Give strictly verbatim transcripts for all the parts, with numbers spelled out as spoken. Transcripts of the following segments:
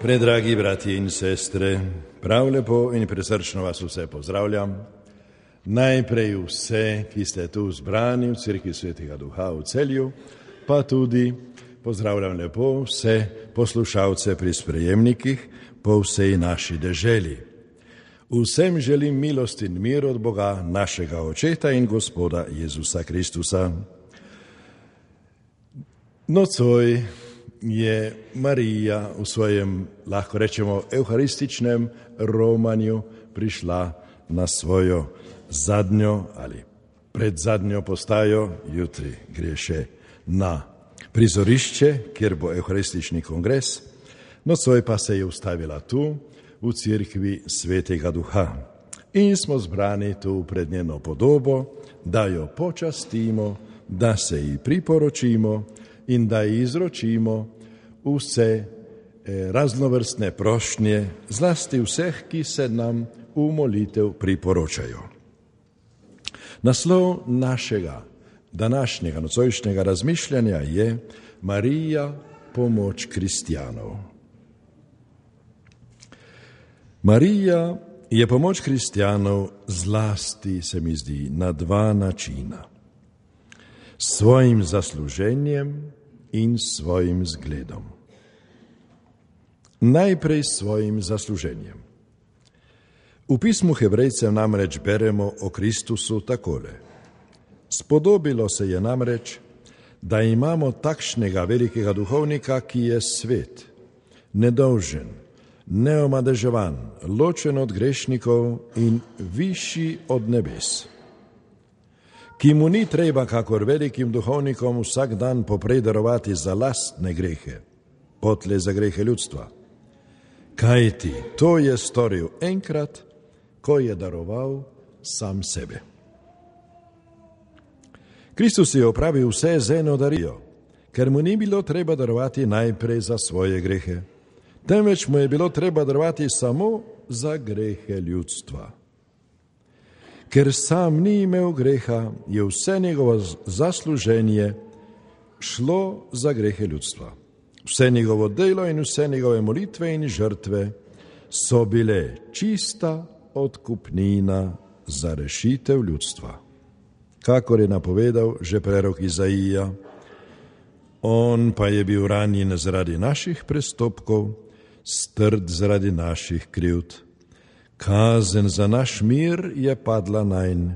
Predragi bratje in sestre, prav lepo in presrčno vas vse pozdravljam. Najprej vse, ki ste tu zbrani v Cerkvi Svetega Duha v Celju, pa tudi pozdravljam lepo vse poslušalce pri sprejemnikih po vsej naši deželi. Vsem želim milost in mir od Boga, našega Očeta in Gospoda Jezusa Kristusa. Nocoj je Marija v svojem, lahko rečemo, evharističnem romanju prišla na svojo zadnjo ali predzadnjo postajo, jutri gre še na prizorišče, kjer bo evharistični kongres, nocoj pa se je ustavila tu, v Cerkvi Svetega Duha. In smo zbrani tu pred njeno podobo, da jo počastimo, da se ji priporočimo in da ji izročimo vse raznovrstne prošnje, zlasti vseh, ki se nam v molitev priporočajo. Naslov našega današnjega nocojšnjega razmišljanja je Marija, pomoč kristjanov. Marija je pomoč kristjanov zlasti, se mi zdi, na dva načina. S svojim zasluženjem in svojim zgledom. Najprej s svojim zasluženjem. V pismu Hebrejcev namreč beremo o Kristusu takole. Spodobilo se je namreč, da imamo takšnega velikega duhovnika, ki je svet, nedolžen, neomadeževan, ločen od grešnikov in višji od nebes, ki mu ni treba, kakor velikim duhovnikom, vsak dan poprej darovati za lastne grehe, potlej za grehe ljudstva. Kajti to je storil enkrat, ko je daroval sam sebe. Kristus je opravil vse z eno darijo, ker mu ni bilo treba darovati najprej za svoje grehe, temveč mu je bilo treba darovati samo za grehe ljudstva. Ker sam ni imel greha, je vse njegovo zasluženje šlo za grehe ljudstva. Vse njegovo delo in vse njegove molitve in žrtve so bile čista odkupnina za rešitev ljudstva. Kakor je napovedal že prerok Izaija, on pa je bil ranjen zaradi naših prestopkov, strd zaradi naših krivd. Kazen za naš mir je padla nanj,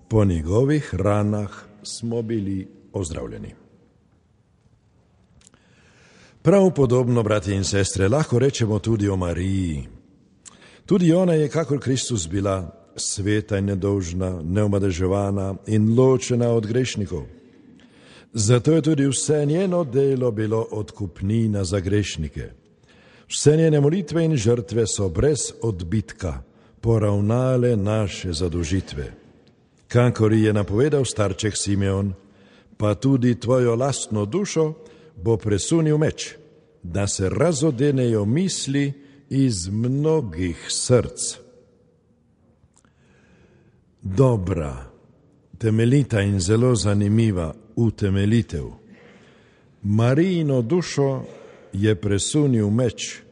po njegovih ranah smo bili ozdravljeni. Prav podobno, bratje in sestre, lahko rečemo tudi o Mariji. Tudi ona je, kakor Kristus, bila sveta in nedolžna, neomadeževana in ločena od grešnikov. Zato je tudi vse njeno delo bilo odkupnina za grešnike. Vse njene molitve in žrtve so brez odbitka poravnale naše zadolžitve. Kakor je napovedal starček Simeon, pa tudi tvojo lastno dušo bo presunil meč, da se razodenejo misli iz mnogih src. Dobra, temeljita in zelo zanimiva utemeljitev. Marijino dušo je presunil meč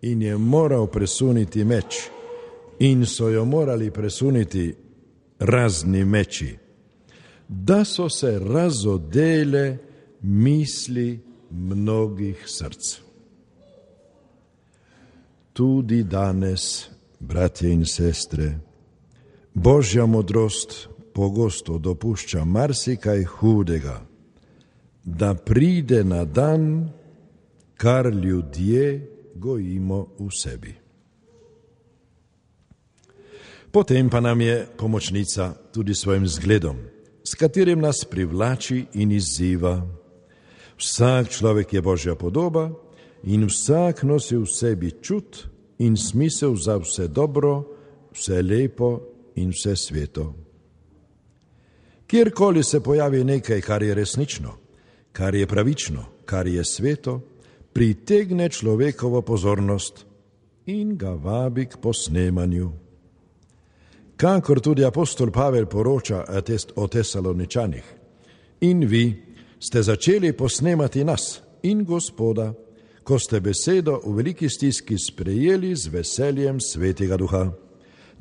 in je moral presuniti meč in so jo morali presuniti razni meči, da so se razodele misli mnogih src. Tudi danes, bratje in sestre, Božja modrost pogosto dopušča marsikaj hudega, da pride na dan, kar ljudje gojimo v sebi. Potem pa nam je pomočnica tudi svojim zgledom, s katerim nas privlači in izziva. Vsak človek je Božja podoba in vsak nosi v sebi čut in smisel za vse dobro, vse lepo in vse sveto. Kjerkoli se pojavi nekaj, kar je resnično, kar je pravično, kar je sveto, pritegne človekovo pozornost in ga vabi k posnemanju. Kakor tudi apostol Pavel poroča o Tesaloničanih, in vi ste začeli posnemati nas in Gospoda, ko ste besedo v veliki stiski sprejeli z veseljem Svetega Duha,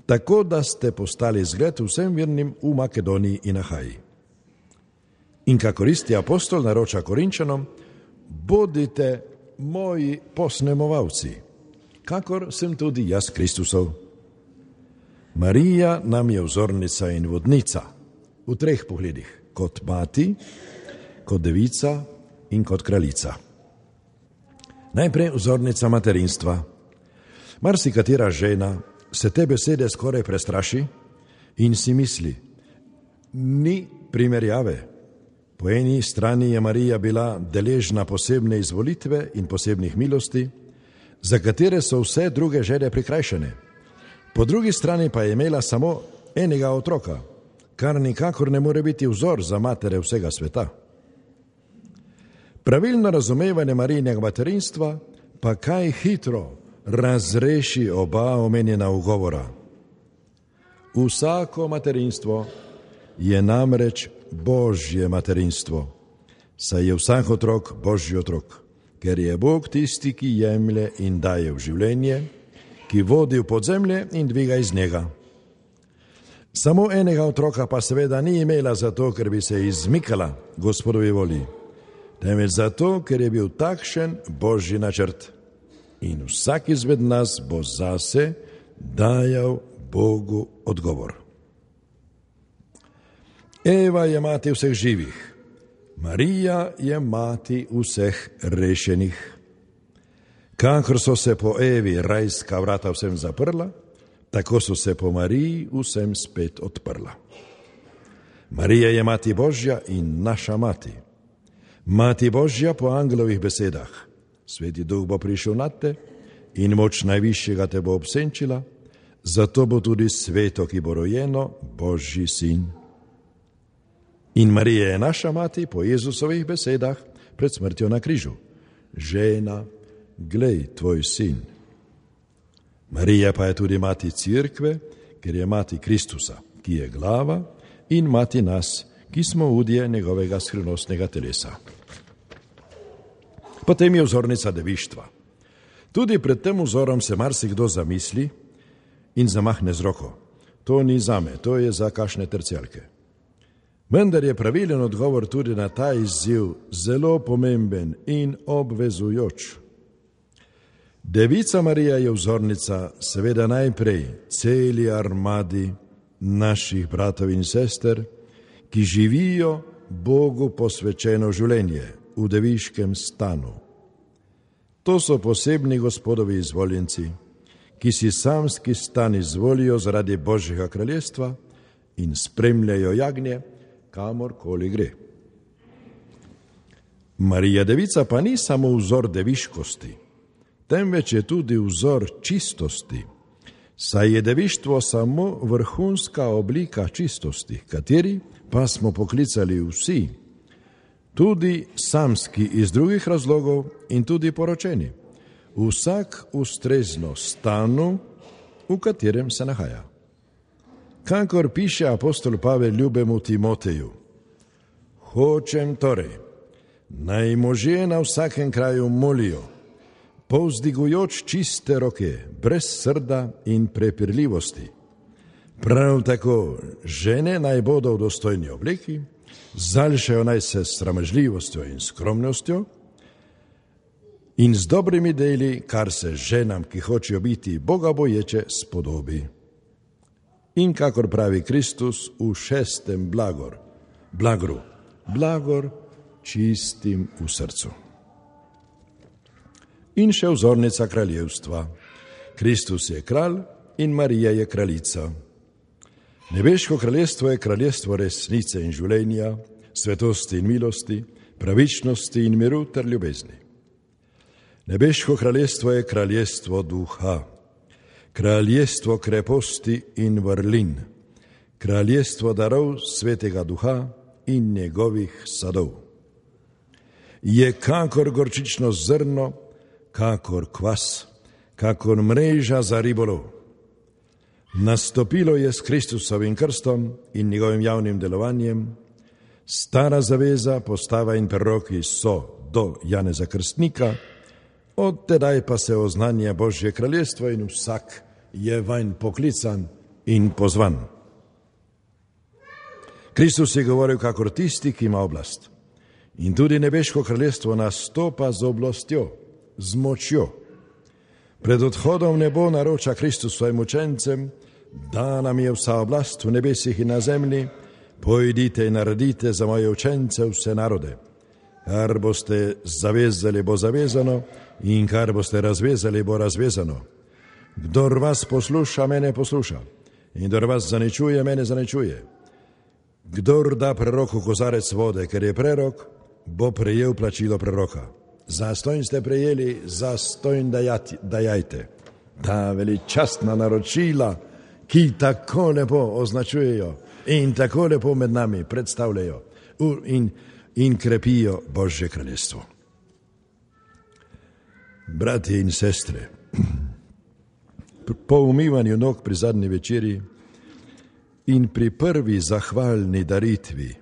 tako da ste postali zgled vsem vernim v Makedoniji in Ahaji. In kakor isti apostol naroča Korinčanom, bodite moji posnemovalci, kakor sem tudi jaz Kristusov. Marija nam je vzornica in vodnica v treh pogledih, kot mati, kot devica in kot kraljica. Najprej vzornica materinstva. Marsikatera žena se te besede skoraj prestraši in si misli, ni primerjave. Po eni strani je Marija bila deležna posebne izvolitve in posebnih milosti, za katere so vse druge žene prikrajšane. Po drugi strani pa je imela samo enega otroka, kar nikakor ne more biti vzor za matere vsega sveta. Pravilno razumevanje Marijinega materinstva pa kaj hitro razreši oba omenjena ugovora. Vsako materinstvo je namreč Božje materinstvo, saj je vsak otrok Božji otrok, ker je Bog tisti, ki jemlje in daje v življenje, ki vodi v podzemlje in dviga iz njega. Samo enega otroka pa seveda ni imela zato, ker bi se izmikala Gospodovi volji, temveč zato, ker je bil takšen Božji načrt. In vsak izmed nas bo zase dajal Bogu odgovor. Eva je mati vseh živih, Marija je mati vseh rešenih. Kakor so se po Evi rajska vrata vsem zaprla, tako so se po Mariji vsem spet odprla. Marija je mati Božja in naša mati. Mati Božja po angelovih besedah. Sveti Duh bo prišel nad te in moč najvišjega te bo obsenčila, zato bo tudi sveto, ki bo rojeno, Božji sin. In Marija je naša mati po Jezusovih besedah pred smrtjo na križu. Žena, glej tvoj sin. Marija pa je tudi mati Cerkve, ker je mati Kristusa, ki je glava, in mati nas, ki smo udje njegovega skrivnostnega telesa. Potem je vzornica devištva. Tudi pred tem vzorom se marsikdo zamisli in zamahne z roko. To ni zame, to je za kakšne tercijalke. Vendar je pravilen odgovor tudi na ta izziv zelo pomemben in obvezujoč. Devica Marija je vzornica seveda najprej celi armadi naših bratov in sester, ki živijo Bogu posvečeno življenje v deviškem stanu. To so posebni Gospodovi izvoljenci, ki si samski stan izvolijo zaradi Božjega kraljestva in spremljajo jagnje, kamorkoli gre. Marija Devica pa ni samo vzor deviškosti, temveč je tudi vzor čistosti, saj je devištvo samo vrhunska oblika čistosti, kateri pa smo poklicali vsi, tudi samski iz drugih razlogov in tudi poročeni, vsak ustrezno stanu, v katerem se nahaja. Kakor piše apostol Pavel ljubemu Timoteju, hočem torej, naj možje na vsakem kraju molijo, povzdigujoč čiste roke, brez srda in prepirljivosti. Prav tako žene naj bodo v dostojni obleki, zališajo naj se s sramežljivostjo in skromnostjo in z dobrimi deli, kar se ženam, ki hočejo biti bogaboječe, spodobi. In kakor pravi Kristus v šestem blagor, blagru, blagor čistim v srcu. In še vzornica kraljevstva. Kristus je kralj in Marija je kraljica. Nebeško kraljestvo je kraljestvo resnice in življenja, svetosti in milosti, pravičnosti in miru ter ljubezni. Nebeško kraljestvo je kraljestvo duha, kraljestvo kreposti in vrlin, kraljestvo darov svetega duha in njegovih sadov. Je kakor gorčično zrno, kakor kvas, kakor mreža za ribolov. Nastopilo je s Kristusovim krstom in njegovim javnim delovanjem. Stara zaveza, postava in preroki so do Janeza Krstnika, Od tedaj pa se oznanja Božje kraljestvo in vsak je vanj poklican in pozvan. Kristus je govoril kakor tisti, ki ima oblast. In tudi nebeško kraljestvo nastopa z oblastjo, z močjo. Pred odhodom v nebo naroča Kristus svojim učencem, da nam je vsa oblast v nebesih in na zemlji, pojdite in naredite za moje učence vse narode. Kar boste zavezali, bo zavezano, in kar boste razvezali, bo razvezano. Kdor vas posluša, mene posluša, in kdor vas zaničuje, mene zaničuje. Kdor da preroku kozarec vode, ker je prerok, bo prejel plačilo preroka. Zastojn ste prejeli, zastojn dajajte. Ta veličastna naročila, ki tako lepo označujejo in tako lepo med nami predstavljajo in, in krepijo Božje kraljestvo. Bratje in sestre, po umivanju nog pri zadnji večeri in pri prvi zahvalni daritvi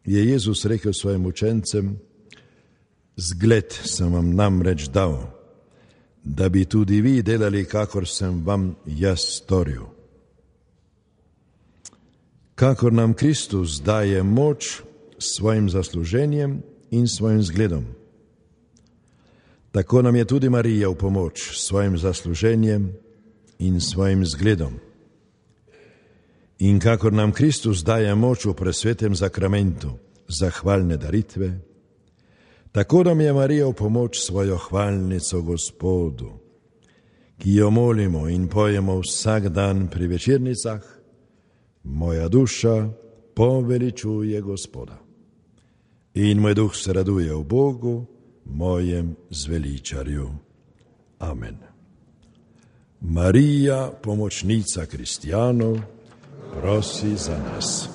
je Jezus rekel svojim učencem: zgled sem vam namreč dal, da bi tudi vi delali, kakor sem vam jaz storil. Kakor nam Kristus daje moč s svojim zasluženjem in svojim zgledom, tako nam je tudi Marija v pomoč s svojim zasluženjem in svojim zgledom. In kakor nam Kristus daje moč v presvetem zakramentu zahvalne daritve, tako nam je Marija v pomoč svojo hvalnico Gospodu, ki jo molimo in pojemo vsak dan pri večernicah: moja duša poveličuje Gospoda in moj duh se raduje v Bogu, mojem zveličarju. Amen. Marija, pomočnica kristjanov, prosi za nas.